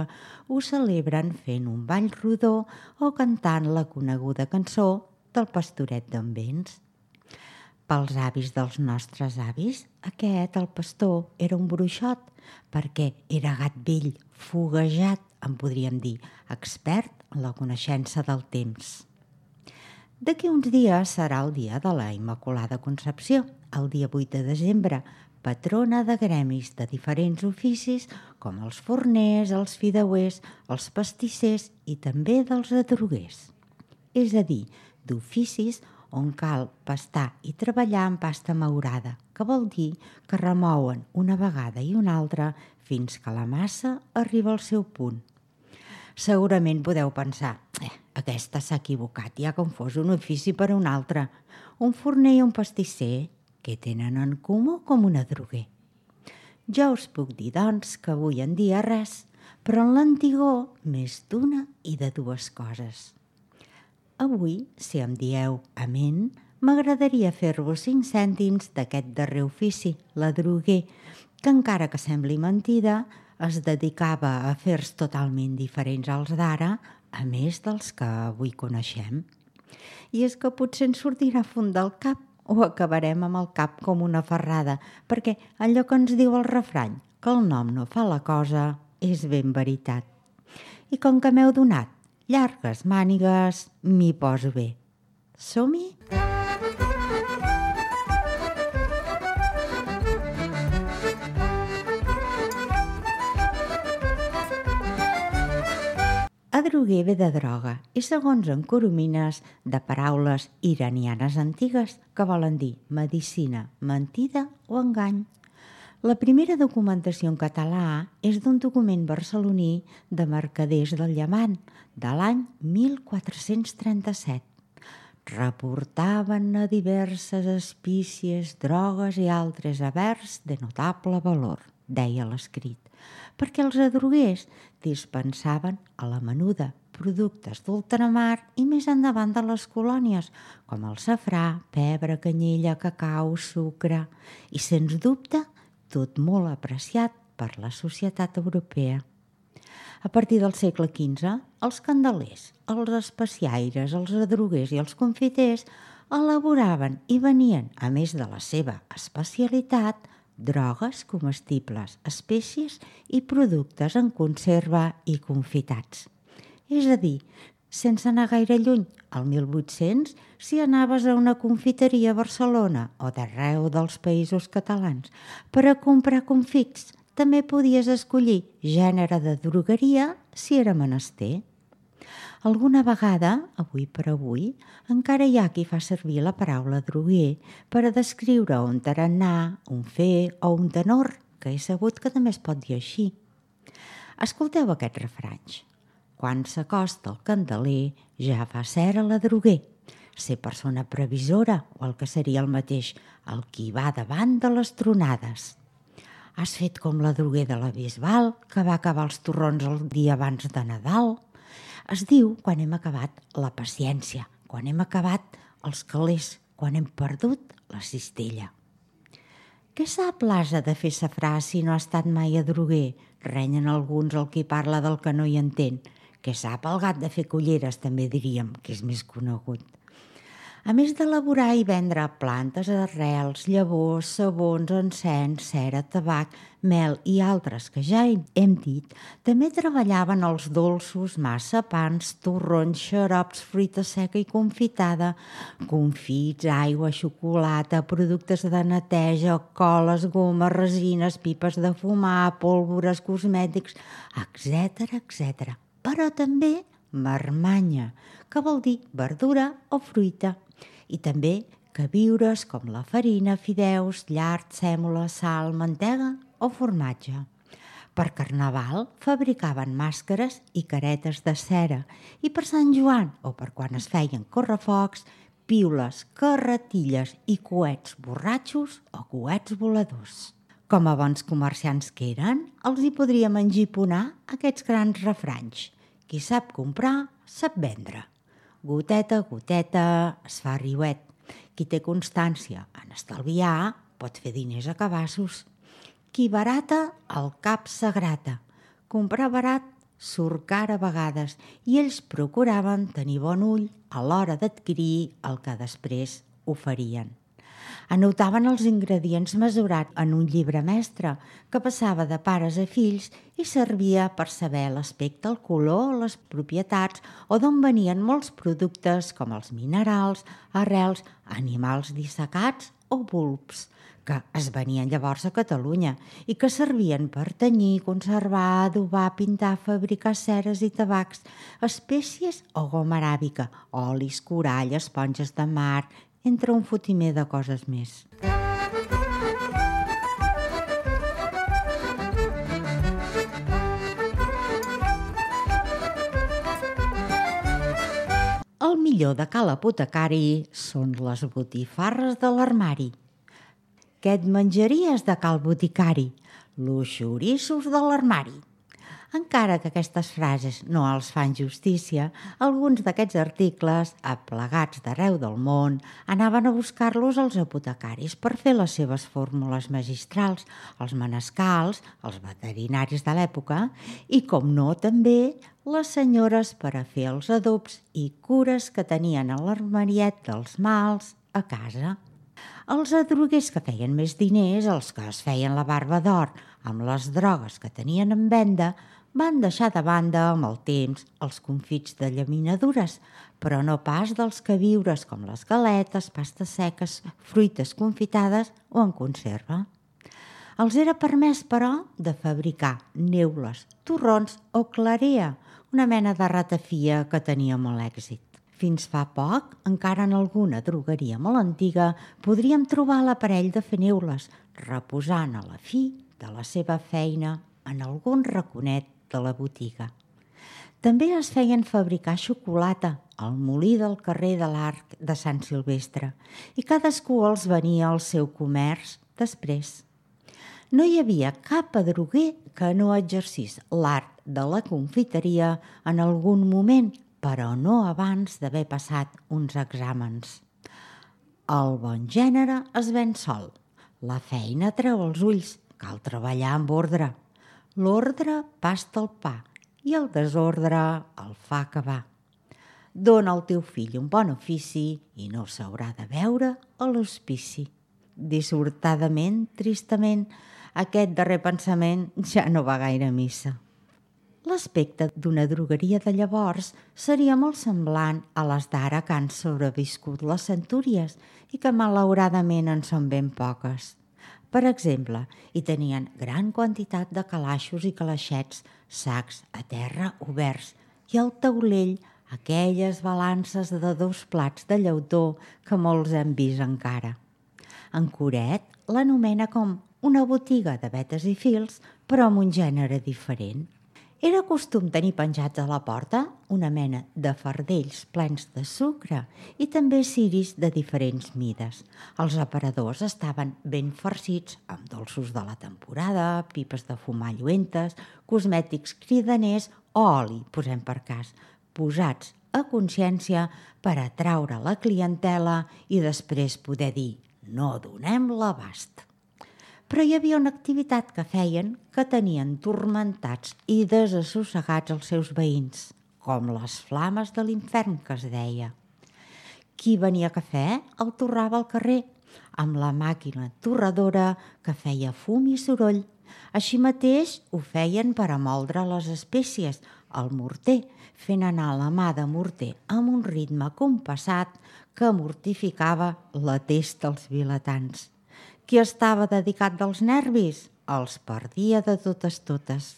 ho celebren fent un ball rodó o cantant la coneguda cançó del Pastoret d'en Vents. Pels avis dels nostres avis, aquest, el pastor, era un bruixot, perquè era gat vell, foguejat, en podríem dir, expert en la coneixença del temps. D'aquí uns dies serà el dia de la Immaculada Concepció, el dia vuit de desembre, patrona de gremis de diferents oficis com els forners, els fideuers, els pastissers i també dels adroguers. És a dir, d'oficis on cal pastar i treballar amb pasta maurada, que vol dir que remouen una vegada i una altra fins que la massa arriba al seu punt. Segurament podeu pensar, eh, aquesta s'ha equivocat i ha confós un ofici per un altre. Un forner i un pastisser, què tenen en comú com un adroguer? Jo us puc dir, doncs, que avui en dia res, però en l'antigor més d'una i de dues coses. Avui, si em dieu amén, m'agradaria fer-vos cinc cèntims d'aquest darrer ofici, l'adroguer, que encara que sembli mentida, es dedicava a afers totalment diferents als d'ara, a més dels que avui coneixem. I és que potser ens sortirà fum del cap o acabarem amb el cap com una ferrada, perquè allò que ens diu el refrany, que el nom no fa la cosa, és ben veritat. I com que m'heu donat llargues mànigues, m'hi poso bé. Som-hi? droguer ve de droga i, segons en Coromines, de paraules iranianes antigues que volen dir medicina, mentida o engany. La primera documentació en català és d'un document barceloní de mercaders del Llevant, de l'any mil quatre-cents trenta-set. Reportaven a diverses espícies, drogues i altres havers de notable valor, deia l'escrit, perquè els adroguers dispensaven a la menuda productes d'ultramar i més endavant de les colònies, com el safrà, pebre, canyella, cacau, sucre i, sens dubte, tot molt apreciat per la societat europea. A partir del segle quinze, els candelers, els especiaires, els adroguers i els confiters elaboraven i venien, a més de la seva especialitat, drogues comestibles, espècies i productes en conserva i confitats. És a dir, sense anar gaire lluny, al mil vuit-cents, si anaves a una confiteria a Barcelona o d'arreu dels països catalans per a comprar confits, també podies escollir gènere de drogueria si era menester. Alguna vegada, avui per avui, encara hi ha qui fa servir la paraula droguer per a descriure un tarannà, un fer o un tenor, que he sabut que també es pot dir així. Escolteu aquests refranys. Quan s'acosta el candeler, ja fa cera la droguer. Ser persona previsora, o el que seria el mateix, el qui va davant de les tronades. Has fet com la droguer de la Bisbal, que va acabar els torrons el dia abans de Nadal. Es diu quan hem acabat la paciència, quan hem acabat els calés, quan hem perdut la cistella. Què sap l'ase de fer safrà si no ha estat mai a droguer? Renyen alguns el qui parla del que no hi entén. Què sap el gat de fer culleres, també diríem, que és més conegut. A més d'elaborar i vendre plantes, arrels, llavors, sabons, encens, cera, tabac, mel i altres que ja hem dit, també treballaven els dolços, massapans, torrons, xarops, fruita seca i confitada, confits, aigua, xocolata, productes de neteja, coles, gomes, resines, pipes de fumar, pólvores, cosmètics, etcètera, etcètera. Però també marmanya, que vol dir verdura o fruita, i també queviures com la farina, fideus, llard, sèmola, sal, mantega o formatge. Per Carnaval fabricaven màscares i caretes de cera i per Sant Joan o per quan es feien correfocs, piules, carretilles i coets borratxos o coets voladors. Com a bons comerciants que eren, els hi podríem engiponar aquests grans refranys. Qui sap comprar, sap vendre. Goteta, goteta, es fa riuet. Qui té constància en estalviar pot fer diners a cabassos. Qui barata, el cap s'agrata. Comprar barat surt car a vegades i ells procuraven tenir bon ull a l'hora d'adquirir el que després oferien. Anotaven els ingredients mesurats en un llibre mestre que passava de pares a fills i servia per saber l'aspecte, el color, les propietats o d'on venien molts productes com els minerals, arrels, animals dissecats o bulbs, que es venien llavors a Catalunya i que servien per tenyir, conservar, adobar, pintar, fabricar ceres i tabacs, espècies o goma aràbica, olis, corall, esponges de mar, entre un fotimer de coses més. El millor de cal apotecari són les botifarres de l'armari. Què et menjaries de cal boticari? Los xoriços de l'armari. Encara que aquestes frases no els fan justícia, alguns d'aquests articles, aplegats d'arreu del món, anaven a buscar-los als apotecaris per fer les seves fórmules magistrals, els manescals, els veterinaris de l'època i, com no, també les senyores per a fer els adobs i cures que tenien a l'armariet dels mals a casa. Els adroguers que feien més diners, els que es feien la barba d'or amb les drogues que tenien en venda, van deixar de banda amb el temps els confits de llaminadures, però no pas dels queviures com les galetes, pastes seques, fruites confitades o en conserva. Els era permès, però, de fabricar neules, torrons o clarea, una mena de ratafia que tenia molt èxit. Fins fa poc, encara en alguna drogueria molt antiga, podríem trobar l'aparell de fer neules, reposant a la fi de la seva feina en algun raconet de la botiga. També es feien fabricar xocolata al molí del carrer de l'Arc de Sant Silvestre i cadascú els venia al seu comerç després. No hi havia cap adroguer que no exercís l'art de la confiteria en algun moment, però no abans d'haver passat uns exàmens. El bon gènere es ven sol. La feina treu els ulls, cal treballar amb ordre. L'ordre pasta el pa i el desordre el fa acabar. Dóna al teu fill un bon ofici i no s'haurà de veure a l'hospici. Dissortadament, tristament, aquest darrer pensament ja no va gaire a missa. L'aspecte d'una drogueria de llavors seria molt semblant a les d'ara que han sobreviscut les centúries i que malauradament en són ben poques. Per exemple, hi tenien gran quantitat de calaixos i calaixets, sacs a terra oberts i al taulell aquelles balances de dos plats de llautó que molts hem vist encara. En Coret l'anomena com una botiga de vetes i fils, però amb un gènere diferent. Era costum tenir penjats a la porta una mena de fardells plens de sucre i també ciris de diferents mides. Els aparadors estaven ben farcits amb dolços de la temporada, pipes de fumar lluentes, cosmètics cridaners o oli, posem per cas, posats a consciència per atraure la clientela i després poder dir «no donem l'abast». Però hi havia una activitat que feien que tenien turmentats i desassossegats els seus veïns, com les flames de l'infern que es deia. Qui venia cafè el torrava al carrer, amb la màquina torradora que feia fum i soroll. Així mateix ho feien per a moldre les espècies, el morter, fent anar la mà de morter amb un ritme compassat que mortificava la testa als vilatans. Qui estava dedicat dels nervis els perdia de totes totes.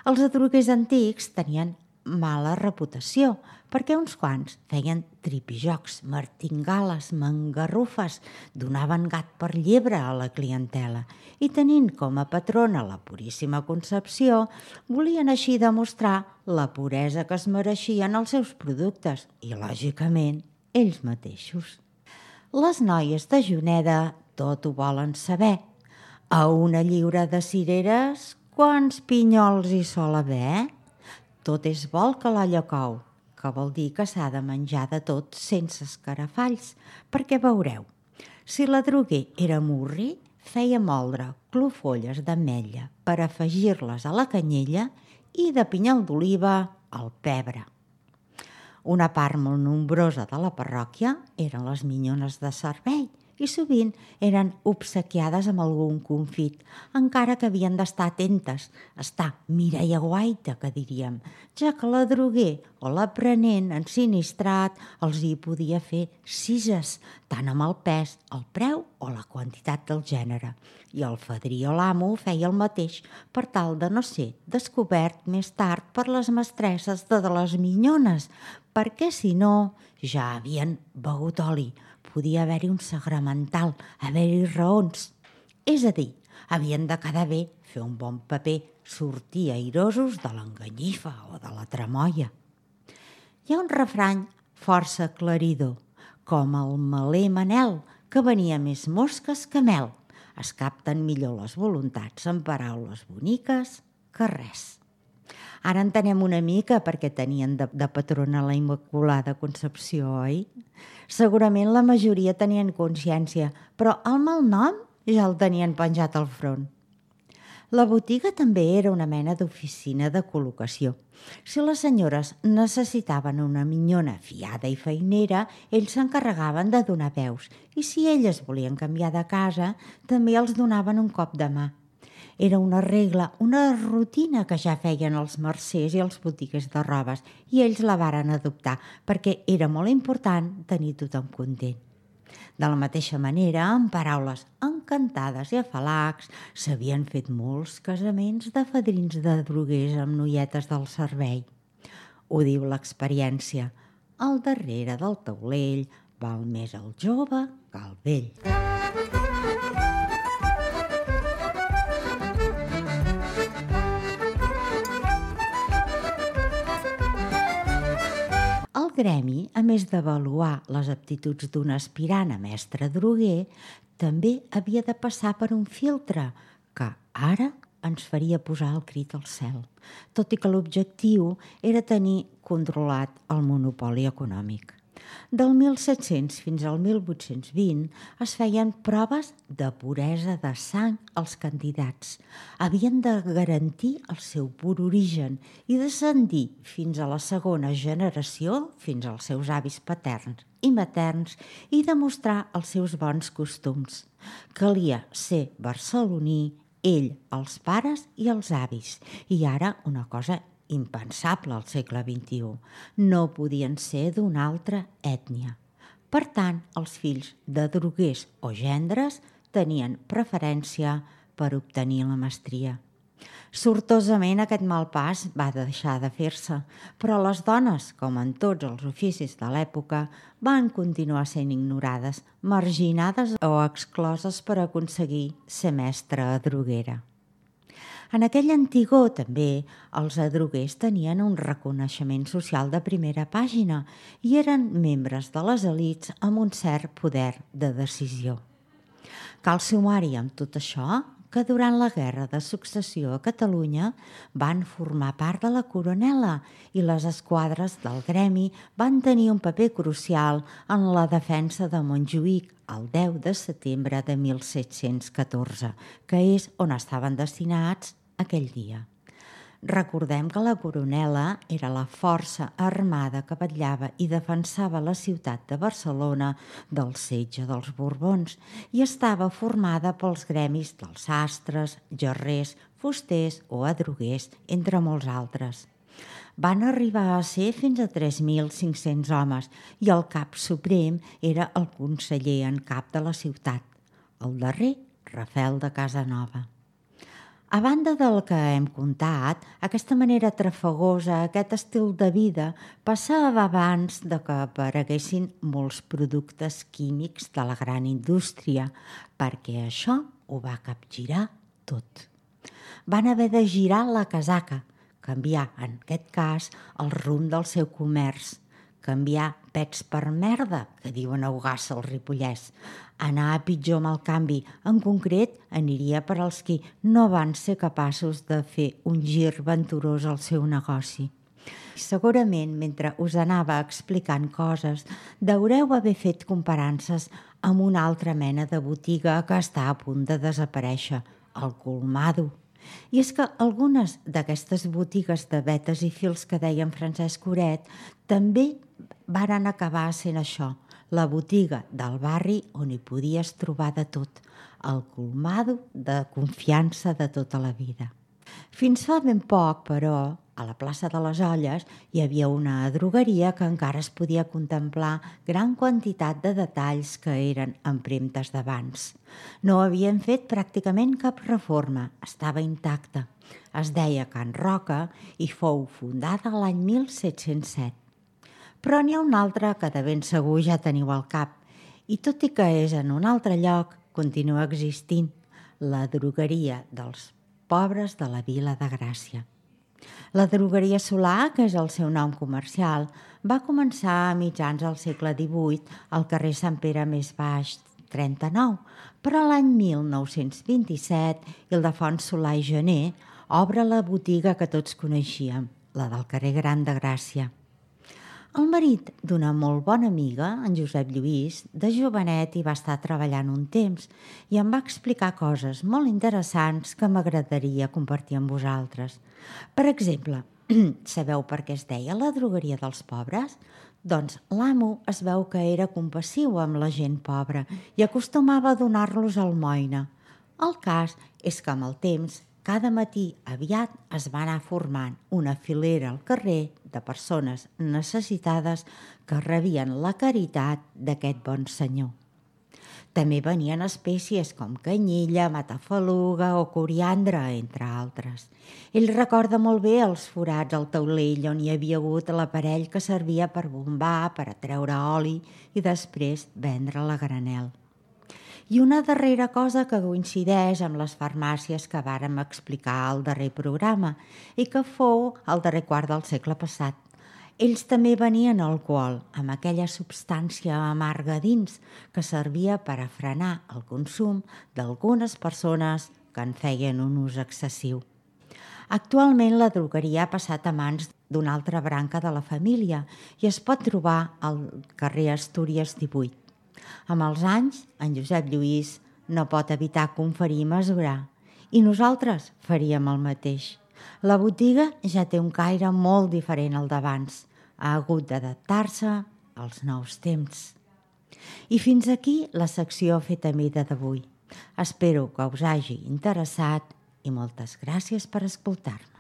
Els adroguers antics tenien mala reputació perquè uns quants feien tripijocs, martingales, mangarrufes, donaven gat per llebre a la clientela i tenint com a patrona la Puríssima Concepció, volien així demostrar la puresa que es mereixien els seus productes i, lògicament, ells mateixos. Les noies de Juneda tot ho volen saber. A una lliura de cireres, quants pinyols hi sol haver? Tot és vol que l'olla cou, que vol dir que s'ha de menjar de tot sense escarafalls, perquè veureu, si l'adroguer era murri, feia moldre clofolles d'ametlla per afegir-les a la canyella i de pinyol d'oliva al pebre. Una part molt nombrosa de la parròquia eren les minyones de servei, i sovint eren obsequiades amb algun confit, encara que havien d'estar atentes, estar mira i aguaita, que diríem, ja que l'adroguer o l'aprenent ensinistrat els hi podia fer cises, tant amb el pes, el preu o la quantitat del gènere. I el fadrí o l'amo feia el mateix per tal de no ser descobert més tard per les mestresses de les minyones, perquè si no ja havien begut oli, podia haver-hi un sagramental, haver-hi raons. És a dir, havien de quedar bé, fer un bon paper, sortir airosos de l'enganyifa o de la tremolla. Hi ha un refrany força aclaridor, com el meler Manel, que venia més mosques que mel. Es capten millor les voluntats amb paraules boniques que res. Ara entenem una mica perquè tenien de, de patrona la Immaculada Concepció, oi? Segurament la majoria tenien consciència, però el malnom ja el tenien penjat al front. La botiga també era una mena d'oficina de col·locació. Si les senyores necessitaven una minyona fiada i feinera, ells s'encarregaven de donar veus, i si elles volien canviar de casa, també els donaven un cop de mà. Era una regla, una rutina que ja feien els mercers i els botiguers de robes i ells la varen adoptar perquè era molt important tenir tothom content. De la mateixa manera, amb paraules encantades i afalacs, s'havien fet molts casaments de fadrins de droguers amb noietes del servei. Ho diu l'experiència. Al darrere del taulell val més el jove que el vell. El gremi, a més d'avaluar les aptituds d'un aspirant a mestre droguer, també havia de passar per un filtre que ara ens faria posar el crit al cel, tot i que l'objectiu era tenir controlat el monopoli econòmic. Del mil set-cents fins al mil vuit-cents vint es feien proves de puresa de sang als candidats. Havien de garantir el seu pur origen i descendir fins a la segona generació, fins als seus avis paterns i materns, i demostrar els seus bons costums. Calia ser barceloní, ell, els pares i els avis. I ara una cosa impensable al segle vint-i-u. No podien ser d'una altra ètnia. Per tant, els fills de droguers o gendres tenien preferència per obtenir la mestria. Sortosament aquest mal pas va deixar de fer-se, però les dones, com en tots els oficis de l'època, van continuar sent ignorades, marginades o excloses per aconseguir ser mestra droguera. En aquell antigor, també, els adroguers tenien un reconeixement social de primera pàgina i eren membres de les elits amb un cert poder de decisió. Cal sumar-hi amb tot això que durant la Guerra de Successió a Catalunya van formar part de la coronela i les esquadres del gremi van tenir un paper crucial en la defensa de Montjuïc el deu de setembre de mil set-cents catorze, que és on estaven destinats aquell dia. Recordem que la coronela era la força armada que vetllava i defensava la ciutat de Barcelona del setge dels Borbons i estava formada pels gremis dels sastres, gerrers, fusters o adroguers, entre molts altres. Van arribar a ser fins a tres mil cinc-cents homes i el cap suprem era el conseller en cap de la ciutat, el darrer Rafel de Casanova. A banda del que hem contat, aquesta manera trafagosa, aquest estil de vida, passava abans de que apareguessin molts productes químics de la gran indústria, perquè això ho va capgirar tot. Van haver de girar la casaca, canviar, en aquest cas, el rumb del seu comerç, canviar pets per merda, que diuen a Ogassa al Ripollès, anar a pitjor amb el canvi. En concret, aniria per als qui no van ser capaços de fer un gir venturós al seu negoci. Segurament, mentre us anava explicant coses, deureu haver fet comparances amb una altra mena de botiga que està a punt de desaparèixer, el colmado. I és que algunes d'aquestes botigues de vetes i fils que deia en Francesc Oret també varen acabar sent això, la botiga del barri on hi podies trobar de tot, el colmado de confiança de tota la vida. Fins fa ben poc, però, a la plaça de les Olles hi havia una drogueria que encara es podia contemplar gran quantitat de detalls que eren empremtes d'abans. No havien fet pràcticament cap reforma, estava intacta. Es deia Can Roca i fou fundada l'any mil set-cents set. Però n'hi ha una altra que de ben segur ja teniu al cap, i tot i que és en un altre lloc, continua existint, la drogueria dels pobres de la Vila de Gràcia. La drogueria Solà, que és el seu nom comercial, va començar a mitjans del segle divuit al carrer Sant Pere més baix, trenta-nou, però l'any mil nou-cents vint-i-set, Ildefons Solà i Gener obre la botiga que tots coneixíem, la del carrer Gran de Gràcia. El marit d'una molt bona amiga, en Josep Lluís, de jovenet hi va estar treballant un temps i em va explicar coses molt interessants que m'agradaria compartir amb vosaltres. Per exemple, sabeu per què es deia la drogueria dels pobres? Doncs l'amo es veu que era compassiu amb la gent pobra i acostumava a donar-los almoina. El cas és que amb el temps, cada matí aviat es va anar formant una filera al carrer de persones necessitades que rebien la caritat d'aquest bon senyor. També venien espècies com canyella, matafaluga o coriandre, entre altres. Ell recorda molt bé els forats al taulell on hi havia hagut l'aparell que servia per bombar, per atreure oli i després vendre-la a granel. I una darrera cosa que coincideix amb les farmàcies que vàrem explicar al darrer programa i que fou al darrer quart del segle passat. Ells també venien alcohol, amb aquella substància amarga dins que servia per a frenar el consum d'algunes persones que en feien un ús excessiu. Actualment la drogueria ha passat a mans d'una altra branca de la família i es pot trobar al carrer Astúries divuit. Amb els anys, en Josep Lluís no pot evitar conferir i mesurar, i nosaltres faríem el mateix. La botiga ja té un caire molt diferent al d'abans. Ha hagut d'adaptar-se als nous temps. I fins aquí la secció Feta a mida d'avui. Espero que us hagi interessat i moltes gràcies per escoltar-me.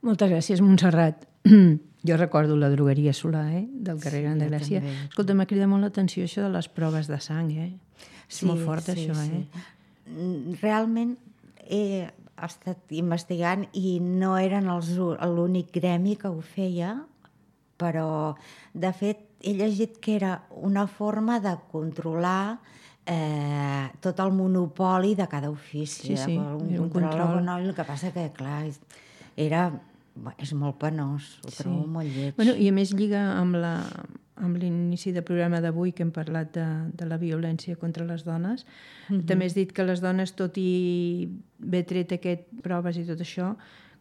Moltes gràcies, Montserrat. Jo recordo la drogueria Solà, eh? Del carrer Gran de Gràcia. Escolta, m'ha cridat molt l'atenció això de les proves de sang, eh? És Sí, molt fort, sí, això, sí. eh? Realment he estat investigant i no eren els u- l'únic gremi que ho feia, però de fet he llegit que era una forma de controlar eh, tot el monopoli de cada ofici. Sí, sí, un era un control control. econòmic. El que passa que, clar, és- era... bé, és molt penós, ho Sí. trobo molt lleig. Bueno, i a més lliga amb la amb l'inici del programa d'avui que hem parlat de, de la violència contra les dones. Mm-hmm. També has dit que les dones, tot i haver tret aquest proves i tot això,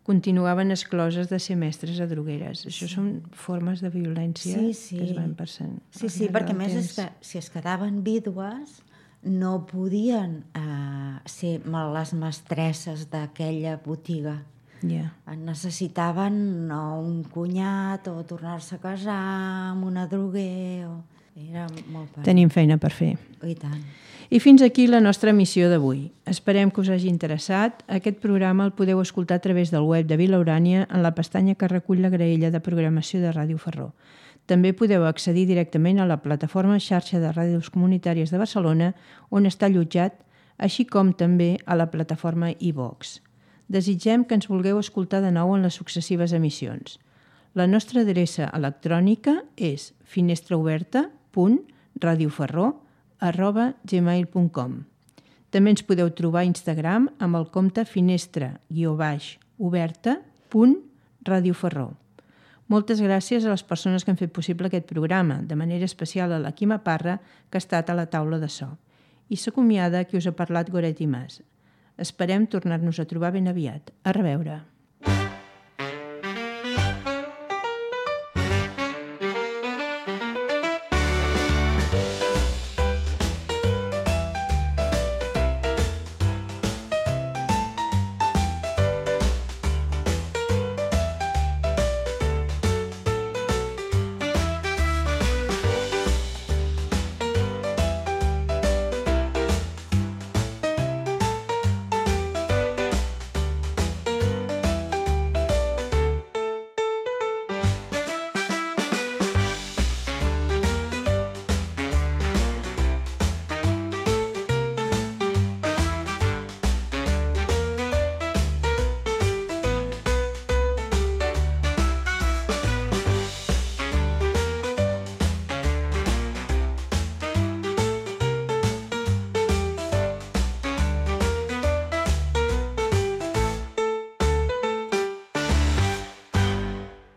continuaven excloses de ser mestres a drogueres. Això són formes de violència Sí, sí. que es van passant. Sí, al sí, llarg perquè a del més és temps. que si es quedaven vídues no podien eh, ser les mestresses d'aquella botiga. Ja. Necessitaven o un cunyat o tornar-se a casar amb una droguer. O... Era molt per... Tenim feina per fer. I tant. I fins aquí la nostra emissió d'avui. Esperem que us hagi interessat. Aquest programa el podeu escoltar a través del web de Vila Urània en la pestanya que recull la graella de programació de Ràdio Ferró. També podeu accedir directament a la plataforma xarxa de ràdios comunitàries de Barcelona, on està allotjat, així com també a la plataforma iVox. Desitgem que ens vulgueu escoltar de nou en les successives emissions. La nostra adreça electrònica és finestraoberta punt radioferró arroba gmail punt com. També ens podeu trobar a Instagram amb el compte finestra guió baix oberta punt radioferró. Moltes gràcies a les persones que han fet possible aquest programa, de manera especial a la Quima Parra, que ha estat a la taula de so. I s'acomiada qui us ha parlat Goretti Mas. Esperem tornar-nos a trobar ben aviat. A reveure.